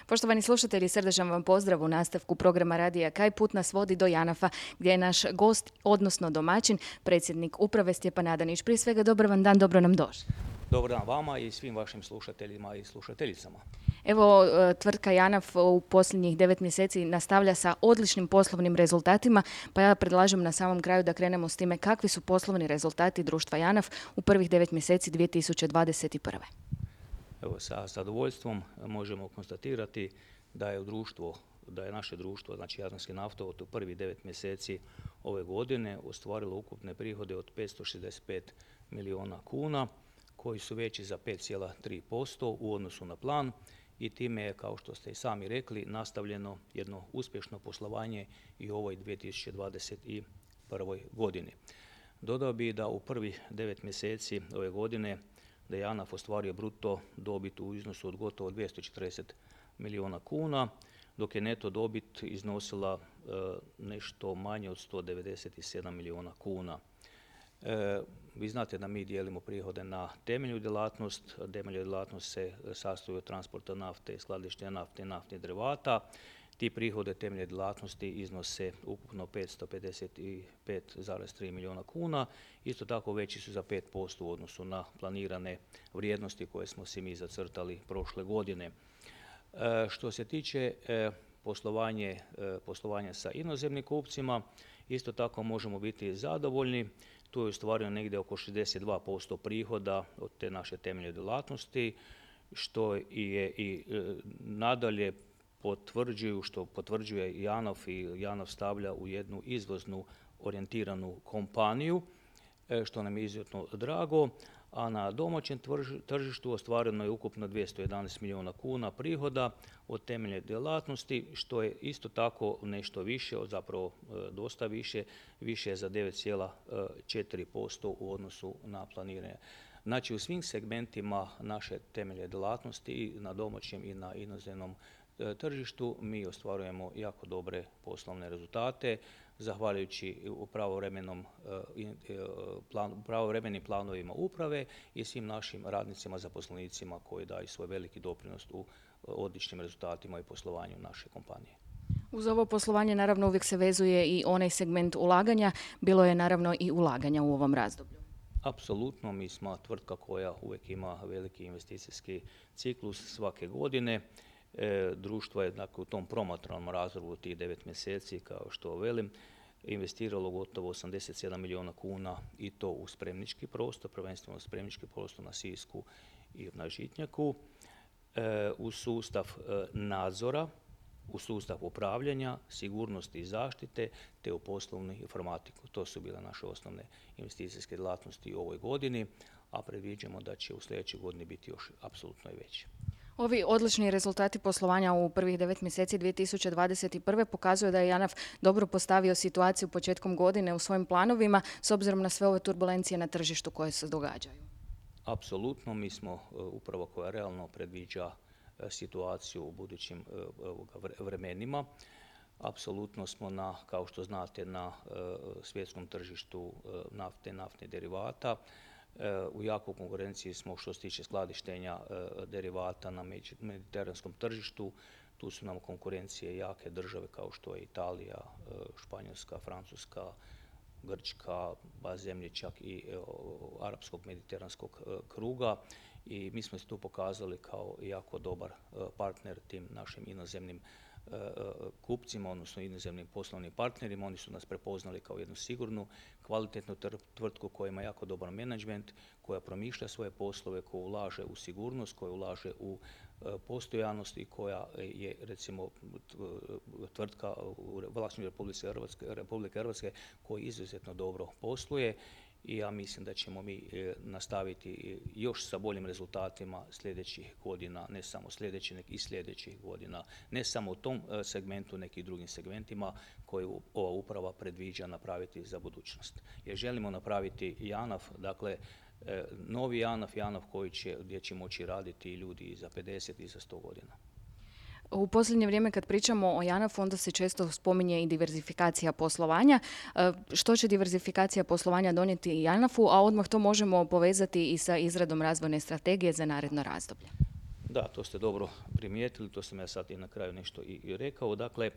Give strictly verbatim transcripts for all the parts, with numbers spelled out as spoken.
Poštovani slušatelji, srdačan vam pozdrav u nastavku programa Radija Kaj, put nas vodi do Janafa, gdje je naš gost, odnosno domaćin, predsjednik uprave Stjepan Adanić. Prije svega, dobar vam dan, dobro nam došli. Dobar dan vama i svim vašim slušateljima i slušateljicama. Evo, tvrtka Janaf u posljednjih devet mjeseci nastavlja sa odličnim poslovnim rezultatima, pa ja predlažem na samom kraju da krenemo s time kakvi su poslovni rezultati društva Janaf u prvih devet mjeseci dvije tisuće dvadeset prve. Evo, sa zadovoljstvom možemo konstatirati da je društvo, da je naše društvo, znači Jadranski naftovod, u prvih devet mjeseci ove godine ostvarilo ukupne prihode od petsto šezdeset pet milijuna kuna, koji su veći za pet zarez tri posto u odnosu na plan i time je, kao što ste i sami rekli, nastavljeno jedno uspješno poslovanje i u ovoj dvije tisuće dvadeset prvoj godini. Dodao bih da u prvih devet mjeseci ove godine da je Janaf ostvario bruto dobit u iznosu od gotovo dvjesto četrdeset milijuna kuna, dok je neto dobit iznosila e, nešto manje od sto devedeset sedam milijuna kuna. E, vi znate da mi dijelimo prihode na temeljnu djelatnost. Temeljna djelatnost se sastoji od transporta nafte, skladištenja nafte i naftnih derivata. Ti prihode temeljne djelatnosti iznose ukupno petsto pedeset pet zarez tri milijuna kuna. Isto tako veći su za pet posto u odnosu na planirane vrijednosti koje smo si mi zacrtali prošle godine. E, što se tiče e, poslovanje, e, poslovanja sa inozemnim kupcima, isto tako možemo biti zadovoljni. Tu je ostvareno negdje oko šezdeset dva posto prihoda od te naše temeljne djelatnosti, što je i e, nadalje potvrđuju, što potvrđuje Janaf i Janaf stavlja u jednu izvoznu orijentiranu kompaniju, e, što nam je izuzetno drago, a na domaćem tržištu ostvareno je ukupno dvjesto jedanaest milijuna kuna prihoda od temeljne djelatnosti, što je isto tako nešto više, zapravo dosta više, više za devet zarez četiri posto u odnosu na planiranje. Znači, u svim segmentima naše temeljne djelatnosti i na domaćem i na inozemnom tržištu mi ostvarujemo jako dobre poslovne rezultate, zahvaljujući pravovremenom plan, pravovremenim planovima uprave i svim našim radnicima, zaposlenicima koji daju svoj veliki doprinos u odličnim rezultatima i poslovanju naše kompanije. Uz ovo poslovanje naravno uvijek se vezuje i onaj segment ulaganja, bilo je naravno i ulaganja u ovom razdoblju. Apsolutno, mi smo tvrtka koja uvijek ima veliki investicijski ciklus svake godine. E, društvo je, dakle, u tom promatranom razdoblju tih devet mjeseci, kao što velim, investiralo gotovo osamdeset sedam milijuna kuna i to u spremnički prostor, prvenstveno spremnički prostor na Sisku i na Žitnjaku, e, u sustav e, nadzora, u sustav upravljanja, sigurnosti i zaštite, te u poslovnu informatiku. To su bile naše osnovne investicijske djelatnosti u ovoj godini, a predviđamo da će u sljedećoj godini biti još apsolutno i veće. Ovi odlični rezultati poslovanja u prvih devet mjeseci dvije tisuće dvadeset prve pokazuju da je Janaf dobro postavio situaciju početkom godine u svojim planovima s obzirom na sve ove turbulencije na tržištu koje se događaju. Apsolutno, mi smo upravo koja realno predviđa situaciju u budućim vremenima. Apsolutno smo, na, kao što znate, na svjetskom tržištu nafte, naftnih derivata. U jakoj konkurenciji smo što se tiče skladištenja derivata na mediteranskom tržištu. Tu su nam konkurencije jake države kao što je Italija, Španjolska, Francuska, Grčka, ba zemlje čak i arapskog mediteranskog kruga. I mi smo se tu pokazali kao jako dobar partner tim našim inozemnim kupcima, odnosno inozemnim poslovnim partnerima. Oni su nas prepoznali kao jednu sigurnu, kvalitetnu tvrtku koja ima jako dobar menadžment, koja promišlja svoje poslove, koja ulaže u sigurnost, koja ulaže u postojanost i koja je, recimo, tvrtka u vlasništvu Republike Hrvatske koja izuzetno dobro posluje. I ja mislim da ćemo mi nastaviti još sa boljim rezultatima sljedećih godina, ne samo sljedećih, nego i sljedećih godina, ne samo u tom segmentu, nekih drugim segmentima koje ova uprava predviđa napraviti za budućnost. Jer želimo napraviti Janaf, dakle, novi Janaf, Janaf koji će, gdje će moći raditi ljudi i za pedeset i za sto godina. U posljednje vrijeme kad pričamo o Janafu, onda se često spominje i diverzifikacija poslovanja. Što će diverzifikacija poslovanja donijeti Janafu, a odmah to možemo povezati i sa izradom razvojne strategije za naredno razdoblje? Da, Da, to ste dobro primijetili, to sam ja sad i na kraju nešto i rekao. Dakle,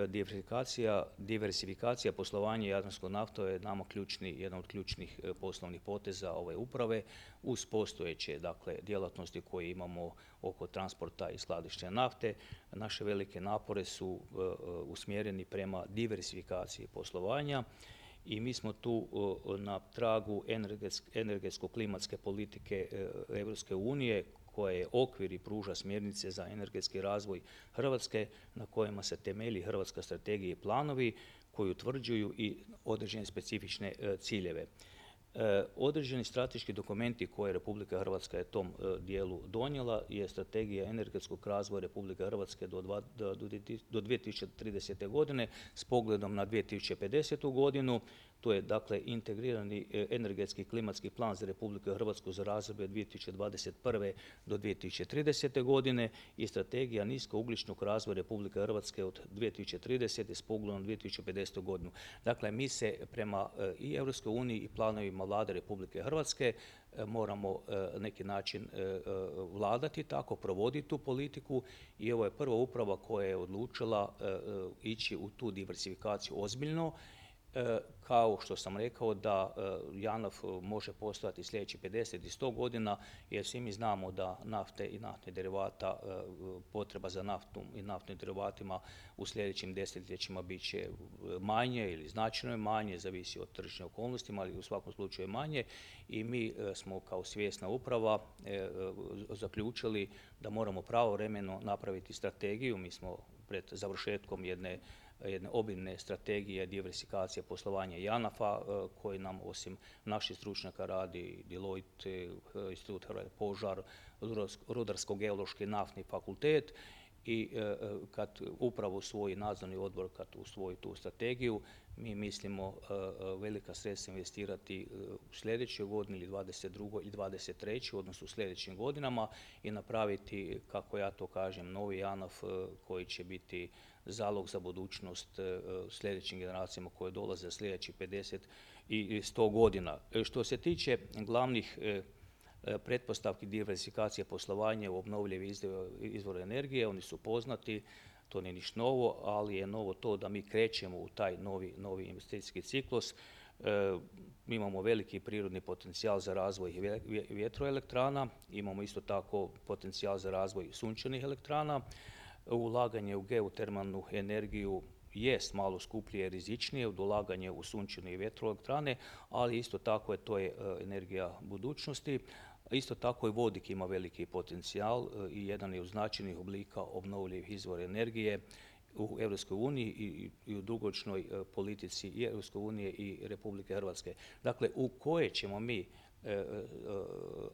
diversifikacija, diversifikacija poslovanja Jadranskog nafta je nama ključni, jedan od ključnih poslovnih poteza ove uprave uz postojeće dakle, djelatnosti koje imamo oko transporta i skladištenja nafte. Naše velike napore su uh, usmjereni prema diversifikaciji poslovanja i mi smo tu uh, na tragu energetsko-klimatske politike uh, Europske unije koja je okvir i pruža smjernice za energetski razvoj Hrvatske na kojima se temelji hrvatska strategija i planovi koji utvrđuju i određene specifične uh, ciljeve. E, određeni strateški dokumenti koje Republika Hrvatska je tom e, dijelu donijela je strategija energetskog razvoja Republike Hrvatske do, dva, do, do dvije tisuće tridesete. godine s pogledom na dvije tisuće pedesetu. godinu. To je dakle integrirani energetski klimatski plan za Republiku Hrvatsku za razdoblje dvije tisuće dvadeset prve. do dvije tisuće tridesete. godine i strategija niskougljičnog razvoja Republike Hrvatske od dvije tisuće tridesete. s pogledom na dvije tisuće pedesetu. godinu. Dakle, mi se prema i Europskoj uniji i planovima Vlade Republike Hrvatske moramo na neki način vladati tako, provoditi tu politiku i ovo je prva uprava koja je odlučila ići u tu diversifikaciju ozbiljno. Kao što sam rekao da JANAF može postojati sljedećih pedeset i sto godina jer svi mi znamo da nafte i naftnih derivata, potreba za naftom i naftnim derivatima u sljedećim desetljećima bit će manje ili značajno manje, zavisi od tržišnih okolnosti, ali u svakom slučaju manje i mi smo kao svjesna uprava zaključili da moramo pravovremeno napraviti strategiju. Mi smo pred završetkom jedne jedne obimne strategije diversifikacije poslovanja JANAF-a koji nam osim naših stručnjaka radi Deloitte, Institut Hrvatski požar, Rudarsko-geološki naftni fakultet i kad upravo usvoji nadzorni odbor, kad usvoji tu strategiju, mi mislimo velika sredstva investirati u sljedećoj godini ili dvadeset drugoj ili dvadeset trećoj. odnosno u sljedećim godinama i napraviti, kako ja to kažem, novi JANAF koji će biti zalog za budućnost sljedećim generacijama koje dolaze za sljedećih pedeset i sto godina. Što se tiče glavnih pretpostavki diversifikacije poslovanja u obnovljivi izvore energije, oni su poznati, to nije ništa novo, ali je novo to da mi krećemo u taj novi, novi investicijski ciklus. E, mi imamo veliki prirodni potencijal za razvoj vjetroelektrana, imamo isto tako potencijal za razvoj sunčanih elektrana. Ulaganje u geotermalnu energiju jest malo skuplje i rizičnije od ulaganja u sunčane i vjetroelektrane, ali isto tako je to je energija budućnosti. Isto tako i vodik ima veliki potencijal i jedan je od značajnih oblika obnovljivih izvora energije u Europskoj uniji i, i u dugoročnoj politici i Europske unije i Republike Hrvatske. Dakle, u koje ćemo mi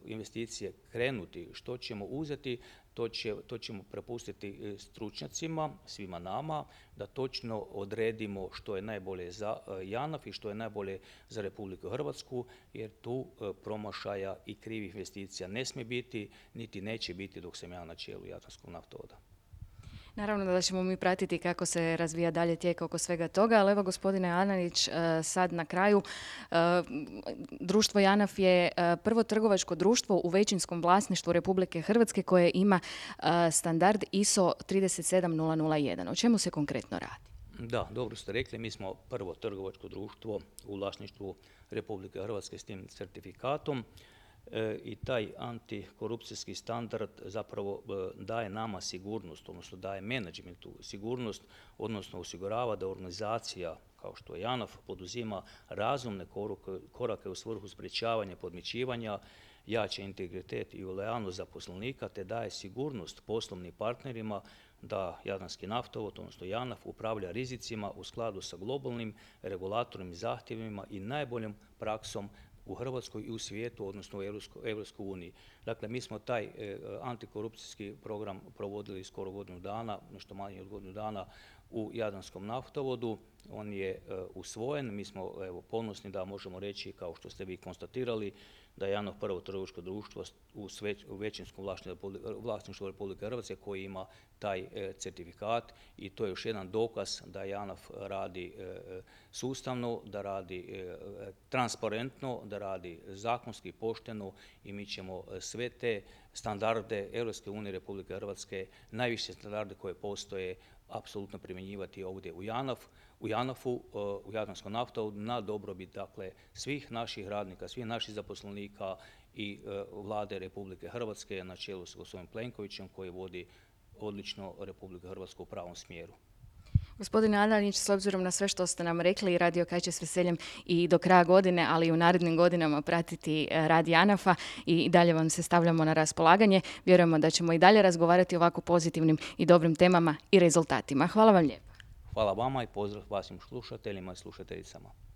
investicije krenuti, što ćemo uzeti, to, će, to ćemo prepustiti stručnjacima, svima nama, da točno odredimo što je najbolje za JANAF i što je najbolje za Republiku Hrvatsku, jer tu promašaja i krivih investicija ne smije biti, niti neće biti dok sam ja na čelu Jadranskog naftovoda. Naravno da ćemo mi pratiti kako se razvija dalje tijek oko svega toga, ali evo gospodine Ananić, sad na kraju, društvo JANAF je prvo trgovačko društvo u većinskom vlasništvu Republike Hrvatske koje ima standard I S O trideset sedam nula nula jedan. O čemu se konkretno radi? Da, dobro ste rekli, mi smo prvo trgovačko društvo u vlasništvu Republike Hrvatske s tim certifikatom. E, i taj antikorupcijski standard zapravo e, daje nama sigurnost, odnosno daje menadžmentu sigurnost, odnosno osigurava da organizacija kao što je JANAF poduzima razumne korake, korake u svrhu sprječavanja podmićivanja, jača integritet i lojalnost zaposlenika te daje sigurnost poslovnim partnerima da Jadranski naftovod, odnosno JANAF, upravlja rizicima u skladu sa globalnim regulatornim zahtjevima i najboljom praksom u Hrvatskoj i u svijetu, odnosno u Europskoj uniji. Dakle, mi smo taj e, antikorupcijski program provodili skoro godinu dana, nešto manje od godinu dana u Jadranskom naftovodu. on je usvojen. Mi smo evo, ponosni da možemo reći, kao što ste vi konstatirali, da je JANAF prvo trgovačko društvo u, sveć, u većinskom vlasništvu Republike Hrvatske koji ima taj e, certifikat i to je još jedan dokaz da JANAF radi e, sustavno, da radi e, transparentno, da radi zakonski, pošteno i mi ćemo sve te standarde Europske unije Republike Hrvatske, najviše standarde koje postoje, apsolutno primjenjivati ovdje u JANAF, u JANAF-u, u Jadranskom naftovodu na dobrobit dakle svih naših radnika, svih naših zaposlenika i vlade Republike Hrvatske na čelu s gospodinom Plenkovićem koji vodi odlično Republiku Hrvatsku u pravom smjeru. Gospodine Adanić, s obzirom na sve što ste nam rekli, Radio Kaj će s veseljem i do kraja godine, ali i u narednim godinama pratiti rad JANAF-a i dalje vam se stavljamo na raspolaganje. Vjerujemo da ćemo i dalje razgovarati o ovako pozitivnim i dobrim temama i rezultatima. Hvala vam lijepo. Hvala vama i pozdrav vašim slušateljima i slušateljicama.